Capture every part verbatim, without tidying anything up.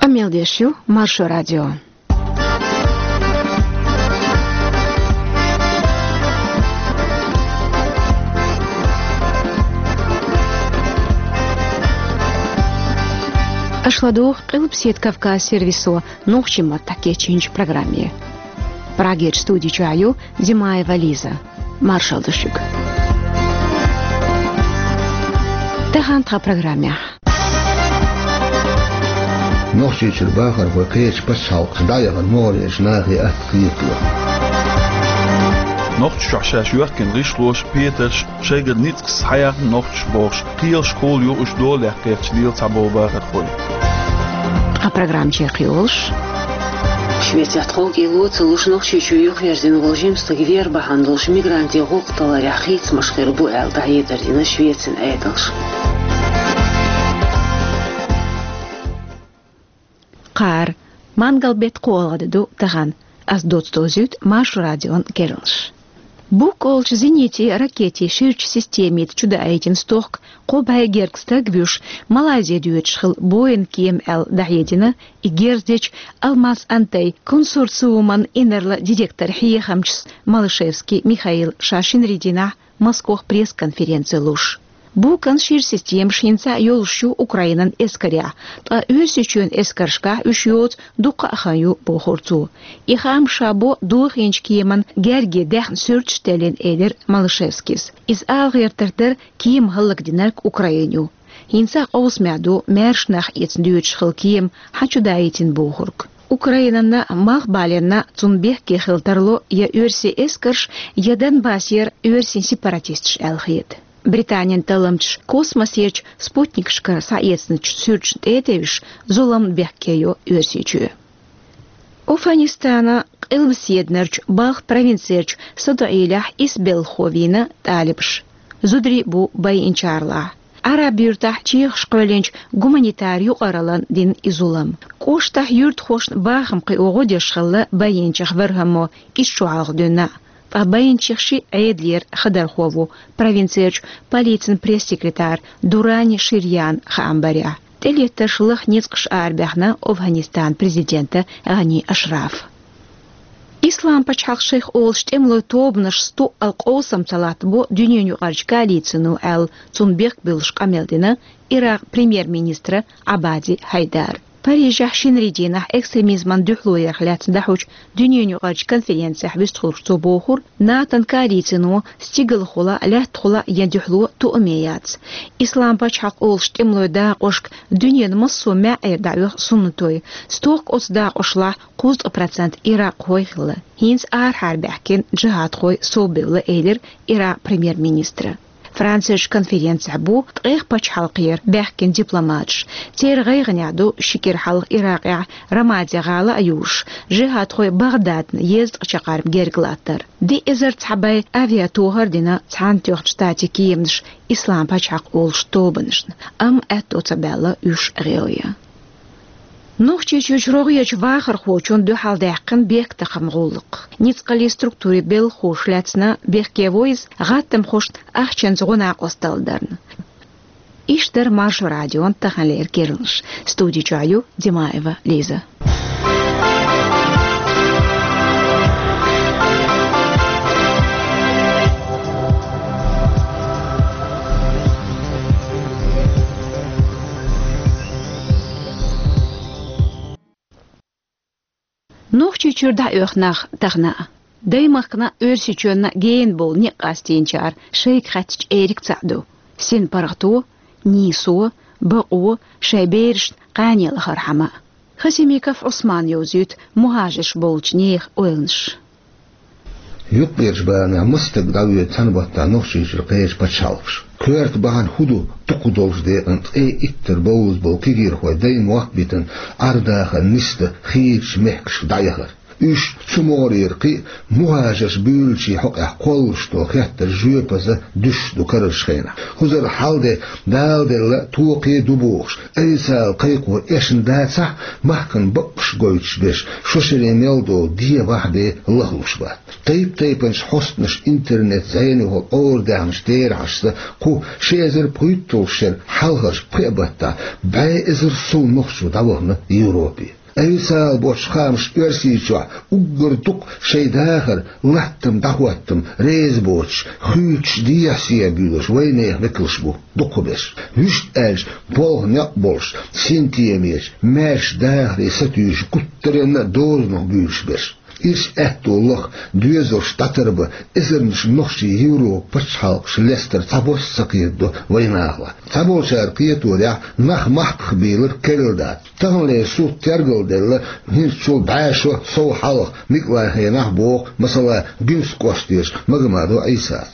Къамел деш ю Маршо радио. Аша ладугӀу Къилбаседа Кавказ сервисо нохчийн маттахь кечйинчу программе. Прагерчу студи чохь ю Димаева Лиза. Маршалла ду шуьга. Тахана тхан программехь. Нохчийчуьра бахархой кхечу пачхьалкхашка дӀаяхана могӀарерчу нахе атта кхетало. Нохчийчохь шаьш йоьхкина гӀишлоша, петарша, шайгара ницкъаша схьаяьхна нохчаша бохуш, кхелашкахула ю уьш дола лекха кхерча лела цхьаболу бахархой. Ткъа программа чекхйолуш. Швецехь тховкӀело ца луш, Нохчийчоь юхаерзина волу жима стаг вер бахьана долуш мигрантийн гӀуллакх таларехь хийцамаш хир бу аьлла, дӀахьедар дина Швецин Ӏедалша. Кхара, мангал-беттан кхоалгӀа де ду тахана. Ас доцца довзуьйту Маршо радион керланаш. Бук олучу зенитийн ракетийн ширачу системица чудаийтина стохка кхо бӀе гергга стаг вуьйш, Малайзе доьдуш хилла Боинг кема аьлла дӀахьедина и герз дечу Алмаз Антей консорциуман инарла директоран хьехамчас Малышевский Михаила ша шинарин дийнахь Москвахь пресс-конференци луш. Букан шира системаш хӀинца а йолуш ю Украинан эскарехь, ткъа Оьрсийчоьнан эскаршкахь уьш йоцу дуккха а хан ю, бохура цо. И хаам ша бо дохийначу кеман герге даьхна суьрташ теллина, элира Малышевскийс. Иза ала гӀертарх дара кема хӀаллакдинарг Украина ю. ХӀинца а къовсамехь ду маьрша нах эцна доьдуш хилла кема хьан чудаийтина бохург. Украинанна малхбаленна цунна бехке хила тарло я оьрсийн эскарш, я Донбассера оьрсийн сепаратисташ аьлла хета. Британин талламчаш космосерчу спутникашкара схьаэцначу суьрташна тӀе а тевжаш, зулам бехке йо Оьрсийчоь. Афганистанан къилбаседнарчу балха провинцерчу Садоилехь исс белхахо вийна талибаша. Зударий бу байинчарлахь. Ӏараб-юьртахь чехаш кхоьллинчу гуманитар юкъараллина дина и зулам. КӀоштахь юьртахошна бахам кхио гӀо деш хилла байинчех вархӀаммо, ишта шу хьалха дуьйна. Ткъа байинчех шиъ Ӏедалера хадархо ву, провинцерчу полицин пресс-секретарь Дурани Ширьян хаам барехь. ТӀелеттарш лаха ницкъаша арабаьхна Афганистанан президента ГӀани Ашрафа. Ислам пачхьалкх шайх олуш тӀемалойн тобанашца туалла къовсам ца латтабо дуьненаюкъарчу коалицино аьлла, цунна бехк буьллуш къамел дина Иракъ премьер-министра Ӏабади Хьайдара. Парижехь шинарин дийнахь экстремизман дуьхьало ярх лаьцна дӀахьочу дуьненаюкъарчу конференцехь вистхуьлуш цо бохура, НАТОн коалицино стигалхула, лаьттахула ян дуьхьало тоаме яц. Ислам пачхьалкх олуш тӀемалойн дакъошка дуьненан массо а маьӀӀера дӀаоьху суннатой. Стохка оцу дакъошлахь кхузткъа процент иракъхой хилла. ХӀинца арахьара баьхкина джихадхой совбевлла, элира Иракъ премьер-министра. Францерчу конференцехь бу ткъех пачхьалкхера баьхкина дипломаташ. Церан гӀайгӀанехь ду ши кӀира хьалха Иракъехь Рамади гӀала а юржуш, джихадхой Багъдадна езткъа чаккхарма герга латтар. Диъ эзар цхьа бӀе авиатохар а дина Цхьаьнатоьхначу Штатийн кеманаша Ислам пачхьалкх олуш тобанашна, амма аьтто ца баьлла уьш гӀелъян. Нохчийчуьрчу рогӀерчу вахархочунна дуьхьал даьккхина бехктакхаман гӀуллакх. Ницкъаллин структурийн белхахоша лаьцна бехке во иза гӀаттамхошна ахчанца гӀо-накъост далларна. Иштта дара Маршо радион таханлера керланаш. Студи чохь ю Димаева Лиза. Нохчийчуьра дӀаоьху нах тахана а. Даймахкана а, Оьрсийчоьнна а гена болу некъ къастийначара шайга хаьттича, эриг цхьаъ ду: синпаргӀато, нийсо, бакъо, шайн берашна кхане лахархьама. Хасимиков Ӏусмана йовзуьйту мухӀажарш болчу нехан ойланаш. Юккъерчу баланехь маса стаг дӀавоьду цхьана баттахь Нохчийчуьра кхечу пачхьалкхаша. Коьрта бахьана хӀун ду дукха долуш декъана ткъе иттара бовза болу кегийрхой даймохк а битина, Ӏар-дахаран нисдан хийрачу мехкашка дӀаяхар? Уьш цу могӀарера кхин а мухӀажарш буьйлачийн хьокъехь кхоллалуш долу хеттарш жоьпаза дуьсуш ду карарчу хенахь. Кхузара хьал де, Дала делла, токхе а ду бохуш, официалан кхайкхо эшна дацахь а, махкана бакъ гойтуш берш, шо шаре мел долу дегӀан бахьа бен лахлуш бац. Тайп-тайпанчу хьостанаша интернет зӀенехула Ӏорадаьхначу терахьашца, кху ши эзар пхийтталгӀачу шеран хьалхарчу пхеа баттахь бӀе эзар сов нохчо дӀавахана Европе. Официалан боцчу хаамашца, Оьрсийчохь уггар дукха шайн дахар, латтам, дӀахӀоттам реза боцуш, хуьйцуш, дехьа-сехьа буьйлуш вайнехан векалш бу дукхахберш. Вуьшта аьлча, болх некъ болуш, синтемечу, маьрша дахаре сатуьйсуш, гуттаренна а дозанах буьйлуш берш. Ирча аьтто лаха, доьзалш дӀатарбан, эзарнаш нохчий Европан пачхьалкхаш лестар цхьабосса ца кхетадо вайнахалахь. Цхьаболчара кхеторехь, нах махках бийлар керла дац. Таханлера суд тергалделла, хӀинцачул бӀе шо сов хьалха микъалайн хенахь боху, масала, Гуьнцкъостера Магомадов Ӏийсас.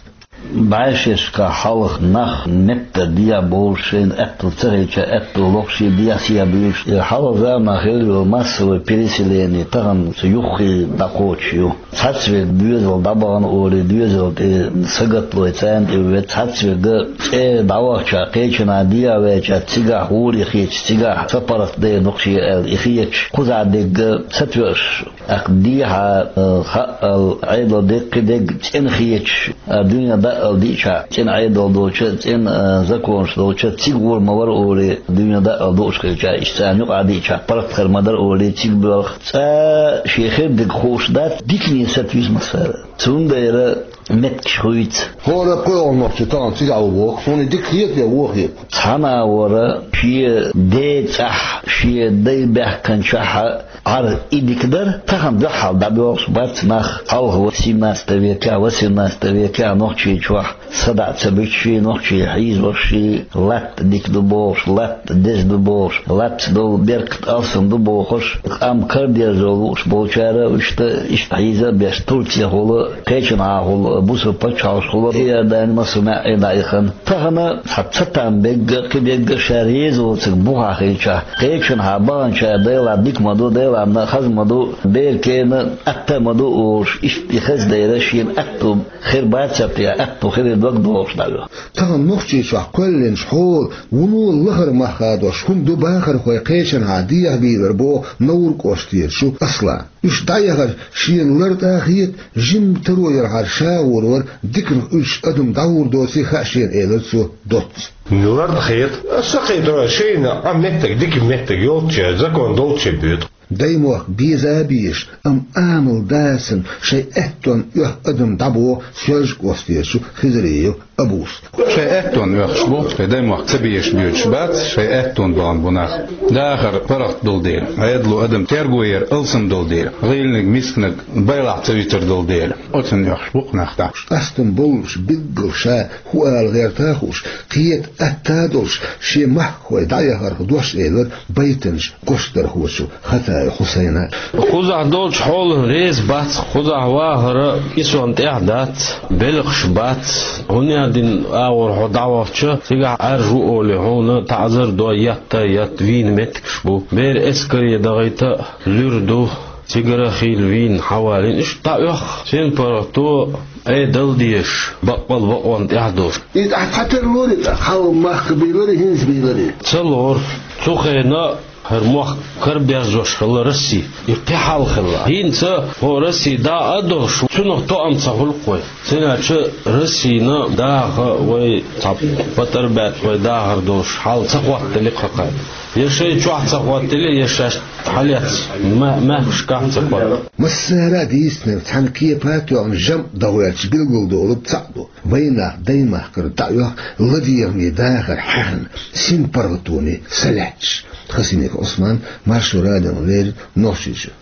БӀе шерашкахь хьалха нах меттан дехьа болуш, шайна аьтто ца хилча, аьтто лохуш, дехьа-сехьа буьйлуш, и хьалха заманахь хилла йолу массовое переселение тахана цу юххе дӀакхочуш ю. Цхьацца верг доьзал дӀабахана олий, доьзал тӀе сагатлой, царна тӀе вен, цхьацца верг цӀера дӀавахча, кхечанхьа дехьа ваьлча, цигахь гӀоле хеташ, цигахь са паргӀат дайна хӀокху шен аьлла, и хеташ, кхузахь дерг сатоьуш, тӀаккха дехьа, а, хаъал, Ӏедал деккхий дерг цӀена хеташ, а, дуьне даъал диъча, цӀена Ӏедал долча, цӀена, а, законаш долча, цига гӀур ма вара олий, дуьне даъал дууш хилча, иштта царна юкъа диъча, паргӀат хир ма дара олий, цига боьлху. Цкъа шен хир дерг хууш дац, дикане сатуьйсу массара. Цундела меттигаш хуьйцу. ХӀора кхоьлгӀа нохчо тахана цигахь ву боху, суна и дика хета я вон хета? Цхьана а вара шен ден цӀахь, шен дай баьхкинчохь а Ӏар и дика дара, тахана дуьххьал дӀабоьлхуш бац нах. Хьалха восемнадцатом векехь, восемнадцатом векехь Нохчийчохь садаӀа ца буьтуш, нохчий хьийзош, латта дика ду бохуш, латта деза ду бохуш, латта долу беркат алсам ду бохуш, къам карадерзор лууш болчара, иштта, иштта хьийза а беш, Турцехула, кхечанхьахула, бусалба пачхьалкхашкахула, Иордани, массо а маьӀӀе дӀаяхана. Тахана цхьа цатам бегга, кхин бегга ша реза воцург бухахь хилчахь, кхечанхьа баханчара Делан дика ма ду, Делан хаза ма ду, беркена атта а ма ду олуш, иштта и хаза дайра шена атта хир бацар те, атта хир дог дохуш дӀавоьху. Тахана Нохчийчохь кхоьллинчу хьолан вуно лахара мах хадош хӀума ду бахархой кхечанхьа дехьа бийлар боху Навр-кӀоштера Аслана. Уьш дӀаяхар шена лартӀа а хета, жимма таро ярхьара ша гӀур вара диканах уьдуш адам дӀагӀур доций хаьа шена, элира цо доцца. ЛартӀа хета. Аса кхетара шайна а меттиг, дика меттиг йолчча, закон долчча боьду. Даймохк беза а безаш, амма амал дацарна шайн аьттонна оьху адам дӀабоху Соьлжа-кӀоштера Хизриев Абус. Шайн аьттонна оьхуш бу, шайн даймохк ца безаш боьдуш бац, шайн аьттонна бахана бу нах. Дахар паргӀат долу дела, Ӏедало адам терго яр алсам долу дела, гӀийланиг, мисканиг байлахь ца витар долу дела, оцунна оьхуш бу-кх нах дӀа. Къастам боллуш, билггал ша хӀун ала гӀерта а хууш, кхета атта а долуш, шен махкахой дӀаяхарх дош элира байтанча гочдархочо Хатаев Хьусайна. Кхузахь долчу хьолана реза бац, кхузахь вахара и сонта тӀехь дац, белхаш бац. ХӀунда аьлла, дин агӀор хьо дӀавахча, цигахь Ӏаьржа ву олий, хьуна таӀзар до, етта а етта, вийна меттигаш бу. Бер эскаре дахийта а луьра ду, цигара а хийла вийна хьавалийна. Иштта дӀаоьху синпаргӀато, Ӏедал дезаш, баккъал бакъонна тӀехь долуш. Иза ахь цхьатера лорий тӀаккха, хьалха махка бийларий, хӀинца бийларий? Ца лору. Цу хенахь хӀара мохк караберзош хилла Росси. И кхин хьал хилла. ХӀинца хӀо Росси дӀа а долуш, цунах тоам ца хуьлу-кх вай. ХӀунда аьлча Россина даха вай цхьа патар баьчча вай дахар долуш хьал ца хӀоттаделла-кх хӀокхарна. Я шайн чохь ца хӀоттаделла, я шаьш хьалаьцна ма-, маьхкашкахь ца хӀоттаделла. Массара а дийцинарг цхьана кепа а тоьхна, жамӀ дан гӀерташ билгалдолург цхьаъ ду. Вайн нах даймахкара дӀаоьху ладегӀаме дахар хьаьхна, синпаргӀатоне са лаьтташ. Хасимиков Ӏусман, Маршо радиона леррина, Нохчийчоь.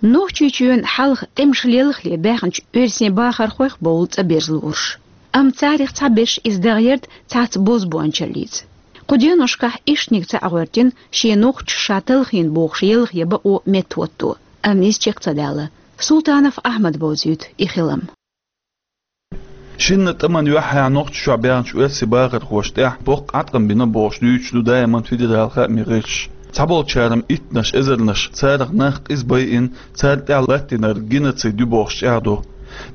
Нохчийчоьнан хьалха тӀемаш лелхале баьхначу оьрсийн бахархойх бовлу цӀа берза лоруш. Амма царах цхьаберш иза даха ярда цхьацца бозбуунчаллица. Кху деношкахь иштаниг цхьаъ гӀоьртина, шен нохчаша ша талхийна бохуш елха я бакъо меттахӀотто. Амма иза чекх ца даьлла. Султанов Ахьмада бовзуьйту и хилам. Шинна тӀаман юьххьехь Нохчийчохь баьхначу оьрсийн бахархошна тӀехь боккха Ӏаткъам бина бохуш дуьйцуш ду даиман федералан хаамийн гӀирсаш. Цхьаболчара-м иттанаш эзарнаш царах нах къиза байина, царна тӀехь латтийнарг геноцид ю бохуш чӀагӀдо.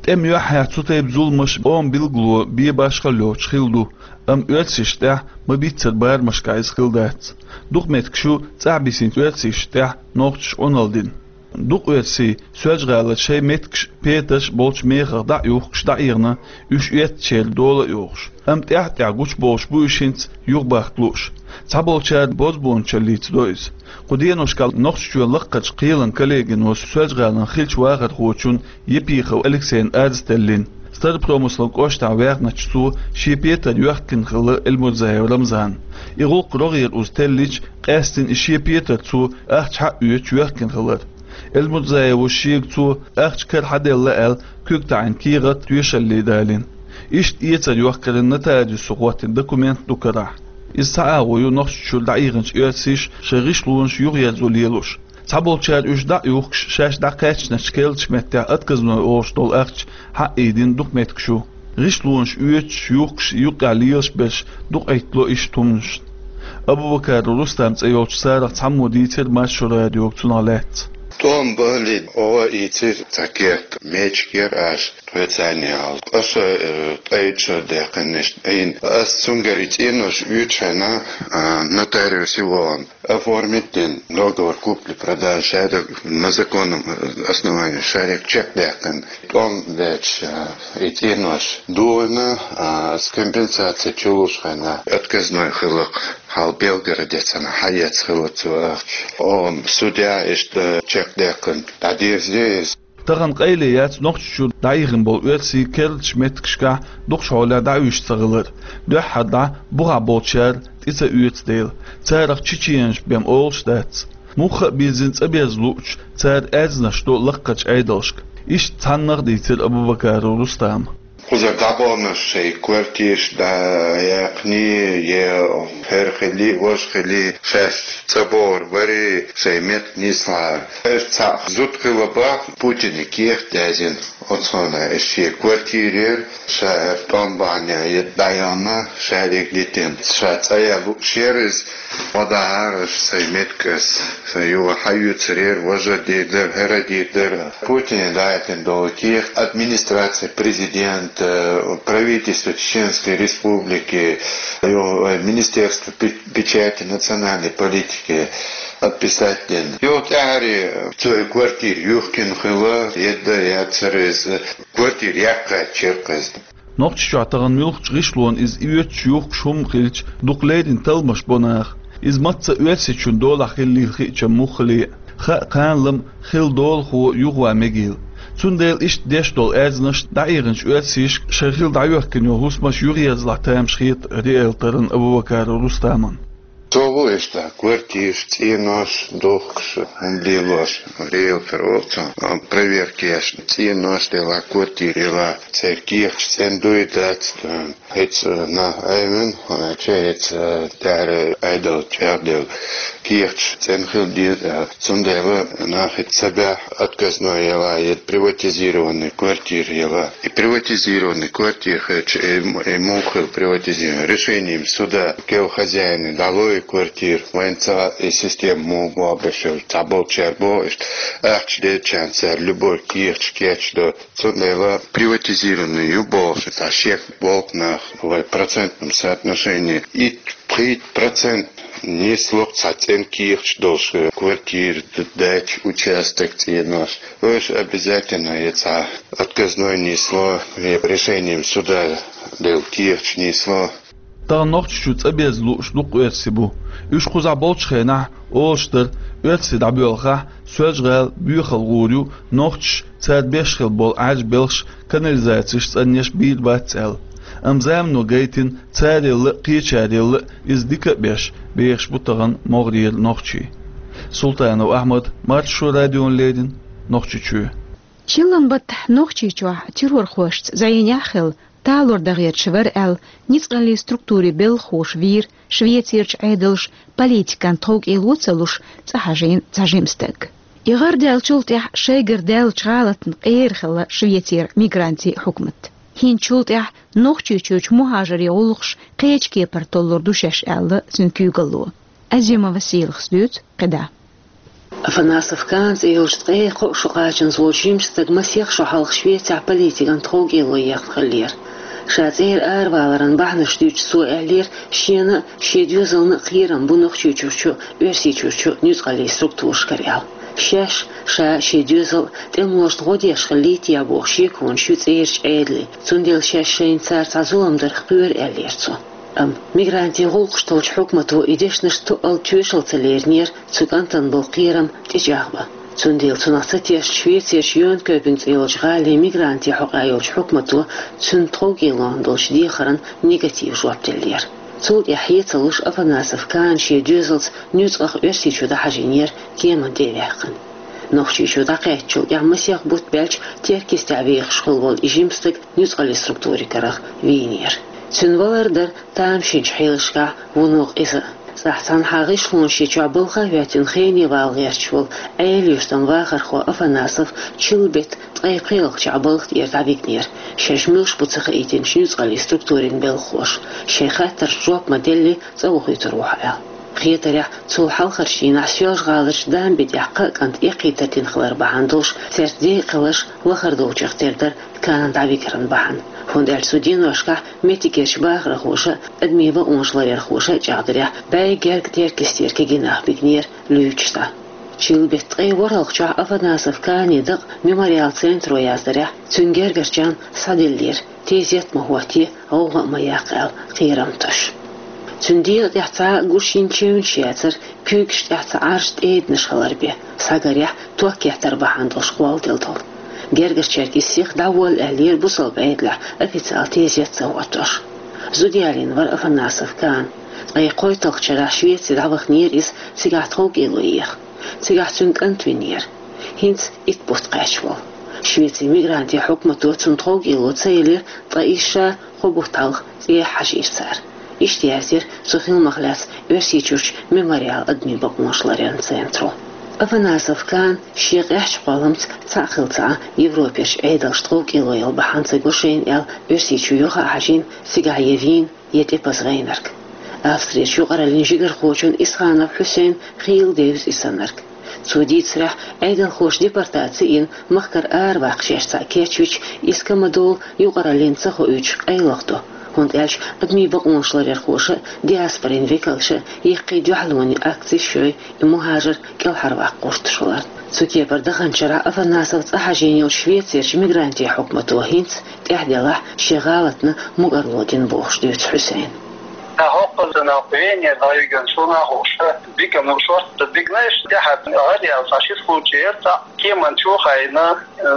ТӀеман юьххьехь цу тайпа зуламаш къоман билгало бен башхалла йоцуш хилла ду, амма оьрсашна тӀехь ма-биццара барамашкахь иза хилла дац. Дукха меттигаш ю цӀахь бисинчу оьрсашна тӀехь нохчаша Ӏуналла дина. Дукха оьрсий Соьлжа-ГӀалара шайн меттигаш, петарш болчу мехах дӀа а юхкуш, дӀаихна, уьш оьттачеран дола а йохуш. Амма тӀаьхь-тӀаьхьа гучубовлуш бу уьш хӀинца юхабахка лууш. Цхьаболчара бозбуунчаллица до иза. Кху деношкахь Нохчийчоьнан лакхарчу кхелан коллегино Соьлжа-ГӀалин хиллачу вахархочунна Епихов Алексейна арз теллина. Старопромыслан кӀоштахь ваьхначу цо шен петар йоьхкина хилла Эльмурзаев Рамзана. И гӀуллакх рогӀера уза теллича, къаьстина и шен петар цо ахча хьаоьцуш йоьхкина хилар. Эльмурзаевс шега цо ахча кара хьаделла аьлла куьг таӀийна кехат, тоьшалле далийна. Иштта эцар йохкаран нотариусо хӀоттийна документ ду карахь. Иза цхьа агӀо ю Нохчийчуьра дӀаихначу оьрсаша шайн гӀишлонаш юхаерзо лелош. Цхьаболчара уьш дӀа а юхкуш, шаьш дӀакхаьчначу керлачу меттехь отказной олуш долу ахча хьаъийдина дукха меттигаш ю. ГӀишлонаш оьцуш, юхкуш, юккъехь лелаш берш дукха Ӏиттало иштта хӀуманашна. Абубакаров Рустам цӀе йолчу царах цхьаммо дийцира Маршо радиога цунах лаьцна. ТӀом бахьале, оха ийцира цхьа кехат, мечигера аша тхоьца аьлла. Аша, э, ткъе итт шо даьккхина иштта Ӏийна. Ас цуьнгара и цӀенош оьцучу хенахь, а, нотариусе вахана. Оформить дина договор купли-продажи, шадерг на законном, э, основании шадерг чекдаьккхина. ТӀом баьчча, э, и цӀенош дохийна, а, с компенсацией чулуш хенахь отказной хилла, хьал Белгороде цхьана хьаэца хилла цо ахча. Оха судья иштта чекдаьккхина, дӀадирзина иза. Тахана къайле яц Нохчийчуьра дӀаихна болу оьрсий керлачу меттигашкахь дукхачу хьолехь дӀауьйш ца хилар, дуьххьара дӀа бухахь болчара тӀе ца оьцу дела, царах чеченаш бен олуш дац. Мухха а бирзина цӀа берза луучу, цара аьрзнаш до лакхарчу Ӏедалшка. Иштта цхьаннах а дийцира Абубакаров Рустама. Кхузара дӀабаханарш шайн квартираш дӀаяьккхиний, е хӀара хилий, важа хилий, шаьш цӀа богӀур барий, шайн меттиг нислахьара. Аша цхьаъ зуда хилла бах, Путине кехат язйина. Оцунах аша шен квартирера, ша хӀара тӀом бахьана дӀаяхна, шадерг дитина. Ша цӀа ян лууш яра иза, ма дахьара аша сайн меттиг ас. Сан юха хьаоьцур яра, важа дийр дара, хӀара дийр дара. Путине дӀаяхийтина долу кехат администрация президента, правительство Чеченской Республики, ю-, Министерство пе-, печати национальной политики подписать дина. Юха тӀаьхьаре цо и квартира юхкина хилла, едда яцара иза, квартира яккха чекхъезна. Нохчийчохь тахана муьлххачу гӀишлонна иза оьцуш, юхкуш хӀума хилча, дукха леррина талламаш бо наха. Иза мацца Оьрсийчун долахь хиллийла хиъча муххале а, хаа кханалла-м хилла долахо юхаван мегийла. Цундела иштта деш долу аьрзнаш дӀаихначу оьрсашка шайн хилла дӀайоьхкина йолу хӀусамаш юхаерзалахь тамаш хета риэлторна Абубакаров Рустамна. Цо ву иштта квартираш, цӀенош духкуш, хӀума лелош, риэлтор олу цо, проверка еш, цӀенош делахь, квартира елахь, церан кехаташ цӀена дуй, дац, хӀинца нах айвина, чу хӀинца тӀаьхьара Ӏедал чӀагӀделла, кехаташ цӀена хила деза, цундела нах хӀинца ца баьхьа, отказной елахь, я приватизированный квартира елахь. И приватизированный квартира хилча, и, и муха хила приватизированный? Решением суда кел хозяина дӀало и квартира, вайн ца и система муха боху бешал, цхьаболчара боху иштта, ахча делчарна цара любой кехаташ кечдо. Цундела приватизированный ю бохуш, цхьа шек болу нах вай процентном соотношении итт-пхийтта процент нисло цхьа цӀена кехаташ долуш, квартира, д-, дача, участок, цӀенош. Уьш обязательно я цхьа отказной нисло, я решением суда делла кехаташ нисло. Тахана Нохчийчу цӀа беза лууш дукха оьрси бу. Уьш кхузахь болчу хенахь олуш дара, оьрси дӀабоьлхахь, Соьлжа-ГӀала боьхалла гӀур ю, нохчаша цара беш хила болу Ӏаьржа белхаш, канализацеш, цӀанъеш бийр бац аьлла. Амма замано гайтина, царелла а, кхечарелла а иза дика а беш, бехаш бу тахана могӀарера нохчий. Султанов Ахьмад, Маршо радиона леррина, Нохчийчоь. Чиллан баттахь Нохчийчохь террорхошца зӀенехь а хилла, талор дан гӀерташ вара аьлла, ницкъаллин структурийн белхахоша вийра Швецерчу Ӏедалша политикан тховкӀело ца луш цӀа хьажийна цхьа жима стаг. И гӀар даьллачул тӀаьхьа шайгара даьллачу гӀалатна къера хилла Швецеран мигрантийн хьукмат. ХӀинцачул тӀаьхьа Нохчийчуьрчу мухӀажарийн гӀуллакхаш кхечу кепара толлур ду шаьш аьлла цуьнан куьйгалло. Азима Василахс дуьйцу кхидӀа. Афанасов Каан цӀе йолчу ткъе кхо шо кхачанза волчу жимачу стага масех шо хьалха Швецехь политикан тховкӀело ехна хиллера. Ша цӀера араваларан бахьанаш дуьйцуш цо аьллера, шена а, шен доьзална а кхерам бу Нохчийчуьрчу а, Оьрсийчуьрчу а нуьцкъаллийн структурашкара аьлла. Шаьш, ша, шен доьзал а тӀемалошна гӀо деш хиллий те бохуш шеконаш ю цӀерачу Ӏедалан, цундела шаьш шайна цара цхьа зулам дарх кхоьру аьллера цо. Амма мигрантийн гӀуллакхаш толчу хьукмато и дешнаш тоъал тоьшалла ца леринера, цу кӀантана болу кхерам тӀечӀагӀбан. Цундела цунах ца тешна Швецерчу Йонкёпинг цӀе йолчу гӀалин мигрантийн хьокъехь йолчу хьукмато цуьнан тховкӀелонах долчу дехарна негатив жоп деллера. Цул тӀаьхьа хье ца луш Афанасов Каан шен доьзалца нуьцкъах Оьрсийчу дӀахьажийнера кеманна тӀе а ваьккхина. Нохчийчу дӀакхаьчначул тӀаьхьа масех бутт баьлча Теркйистехь вехаш хилла волу и жима стаг нуьцкъаллийн структурийн карах вийнера. Цуьнан валар дара тамашийначу хьелашкахь вуно къиза. Цхьаьхьа цхьана гӀишлонаш чохь балха а хӀоьттина хене вала гӀерташ волу Ӏела-Юьртан вахархо Афанасов чиллан беттан ткъе пхеалгӀачохь балха тӀера дӀавигнера, шаьш муьлш бу ца хаийтинчу нуьцкъаллийн структурийн белхахоша, шайн хаттаршна жоп ма-делли, цӀа вохуьйтур ву хьо аьлла. Хетарехь, цул хьалхарчу дийнахь Соьлжа-ГӀаларчу Дамби тӀехь кхаа кӀант эккхийтар дина хилар бахьана долуш, цаьрца декъалш лахара долчух тера дара Каан дӀавигаран бахьана, хӀунда аьлча цу деношкахь меттигерчу бахархоша а, адамийн бакъонаш ларъярхоша а чӀагӀдарехь, бӀе гергга Теркйистера кегий нах бигнера луьйчуш дӀа. Чиллан беттан ткъе ворхӀалгӀачохь Афанасов Каанан дакъа Мемориал центро яздарехь, цуьнан гергарчарна схьаделлера, тезет а ма хӀотте, гӀовгӀа а ма яккха аьлла, кхерам тосуш. Цуьнан дегӀа тӀехь цхьа а гуш йина чевнаш яцара, куьйгаш тӀехь цхьа Ӏарш тӀеданаш хилар бен, схьагарехь, ток еттар бахьана долуш кхолладелла долу. Гергарчаьрга иза сиха дӀаволла аьллера бусалба Ӏедалехь, официалан тезет а ца хӀоттош. Зуда ялийна вара Афанасов Каан. Ткъе кхойтталгӀачу шарахь Швеце дӀаваханера иза, цигахь тховкӀело еха. Цигахь цуьнан кӀант винера, хӀинца итт бутт кхаьчна волу. Швецин мигрантийн хьукмато цунна тховкӀело ца елира ткъа исс ша кхо бутт хьалха цӀехьа хьажийра цара. Иштта яздира цу хиламах лаьцна Оьрсийчуьрчу Мемориал адамийн бакъонаш ларъяран центро. Афанасов Каан шен къаьхьачу кхолламца цхьаъ хилла ца Ӏа Европерчу Ӏедалша тховкӀело яла бахьана ца го шайна аьлла, Оьрсийчу юха а хьажийна, цигахь я вийна, я тӀепаза гӀайнарг. Австрерчу юкъараллин жигархочун Исханов Хьусейнан хийла девза и саннарг. Цо дийцарехь, Ӏедалхоша депортаци йина махкара араваккха шаьш цхьаъ кечвича, иза ка ма-доллу юкъараллина ца хоуьйтуш къайлаха до, хӀунда аьлча адамийн бакъонаш ларъярхоша а, диаспорин векалша а яккхий дуьхьалонийн акцеш йой и мухӀажар кӀелхьарваккха гӀерташ хиларна. Цу кепара даханчу шарахь Афанасов цӀа хьажийна йолчу Швецерчу мигрантийн хьукмато хӀинца тӀаьхьа делахь, шен гӀалатна мукӀарло дина бохуш дуьйцу Хьусейна. ТӀаккха хӀокхуза нах Венера дӀавигна суна а хууш, бигам шортта бигнайш, тӀаьхьа гӀараяьлла цхьа ши случай яра, цхьаъ кеман чу а хайна,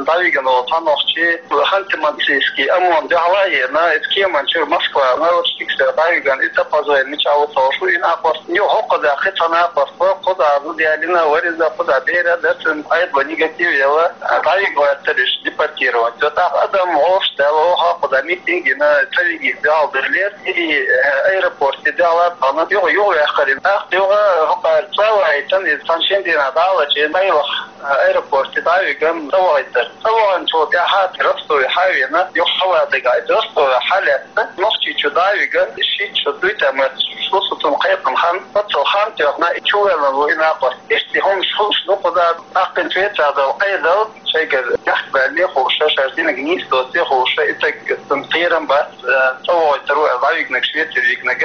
дӀавигна волу цхьа нохчи, Ханты-Мансийский ОМОН дуьхьал а еана, иза кеман чуьра Москва наркотиксера дӀавигна, иза тӀепаза гӀайна мичахь ву ца хууш ву и накъост. Юха хӀокхузахь кхин цхьа накъост вара, кхузахь зуда ялийна вара иза, кхузахь бер а дара цуьнан, Ӏедало негатив елла, дӀавига гӀоьртира уьш депортировать. ТӀаккха адам гӀовш даьлла, оха кхузахь митинг йина, ца вигийта дуьхьал девллера, и, э, аэропорте дуьхьал а тахана, юха, юха ваьккхира. ТӀаккха юха хӀокхара цӀа а ваийтина, иза цхьана шина дийнахь дӀа а лачкъийна, къайлаха аэропорте дӀа а вигна, цӀа вахийтира. ЦӀа ваханчул тӀаьхьа Ростове хьа а веана, юха Шалатига, иза Ростове хьа а лаьцна, Нохчийчу дӀа а вигна, шийтта шо дуй тӀе моьттуш ву со цунна кхайкхина хан, оццул хан тоьхна, и чувоьллина ву и накъост. Иштта хӀуманаш хууш ду кхузахь, тӀаккха цу Швецехь долу Ӏедал шайгара бехк баьлле а хууш, шаьш динарг нийса доций а хууш, и стаг, цунна кхерам бац, э, цӀа вахийтур ву аьлла, дӀавигнарг, Швеце вигнарг,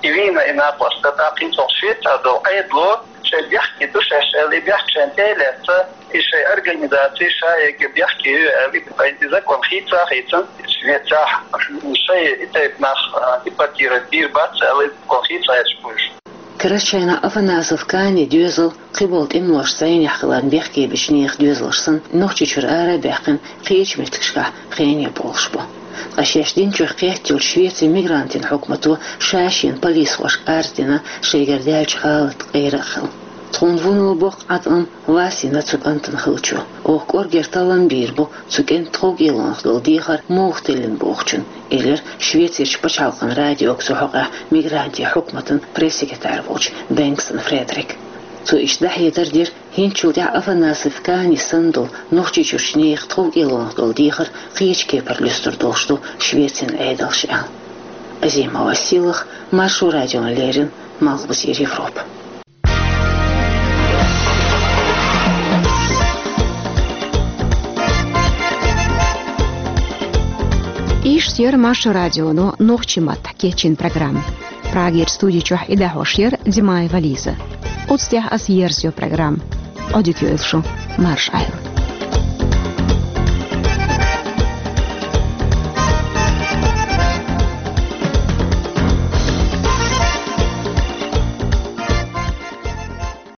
и вийна и накъост, тӀаккха хӀинца Швецехь долу Ӏедало шайн бехке ду шаьш аьлла, и бехк шайна тӀе а лаьцна, и шайн организаци ша яга бехке ю аьлла, и закон хийца а хийцина, Швецехь шайн и тайпа нах, э, депортировать бийр бац аьлла, и закон хийца а хийцина уьш. Карарчу шайна Афанасов Каанан доьзал, кхиболу тӀемалошца зӀенехь хиларна бехке бичу нехан доьзалш санна, Нохчийчуьра ара а баьккхина, кхечу меттигашкахь хене болуш бу. Ткъа шаьш динчух кхеттачу Швецин мигрантийн хьукмато ша-шена полисхошка арз дина шайгара даьллачу гӀалатан къера а хилла. Тхуна вуно боккха Ӏаткъам Васина цу кӀантана хилчо. Оха кӀоргера таллам бийр бу цу кӀентан тховкӀелонах долу дехар муха теллина бохучун, элира Швецерчу пачхьалкхан радиога цу хьокъехь мигрантийн хьукматан пресс-секретарь волчу Бенгсон Фредерика. Цо иштта дӀахьедар дира, хӀинцачул тӀаьхьа Афанасов Каанан санна долу Нохчийчуьрчу нехан тховкӀелонах долу дехар кхечу кепара луьстур долуш ду Швецин Ӏедалша аьлла. Азима Василах, Маршо радиона леррина, Малхбузера Европа. Иштта яр Маршо радионо нохчийн маттахь кечйина программа. Прагера студи чохь и дӀахьош яр Димаева Лиза. Оцу тӀехь аса ерзайо программа. Ӏодика йойла шу, марша Ӏайла.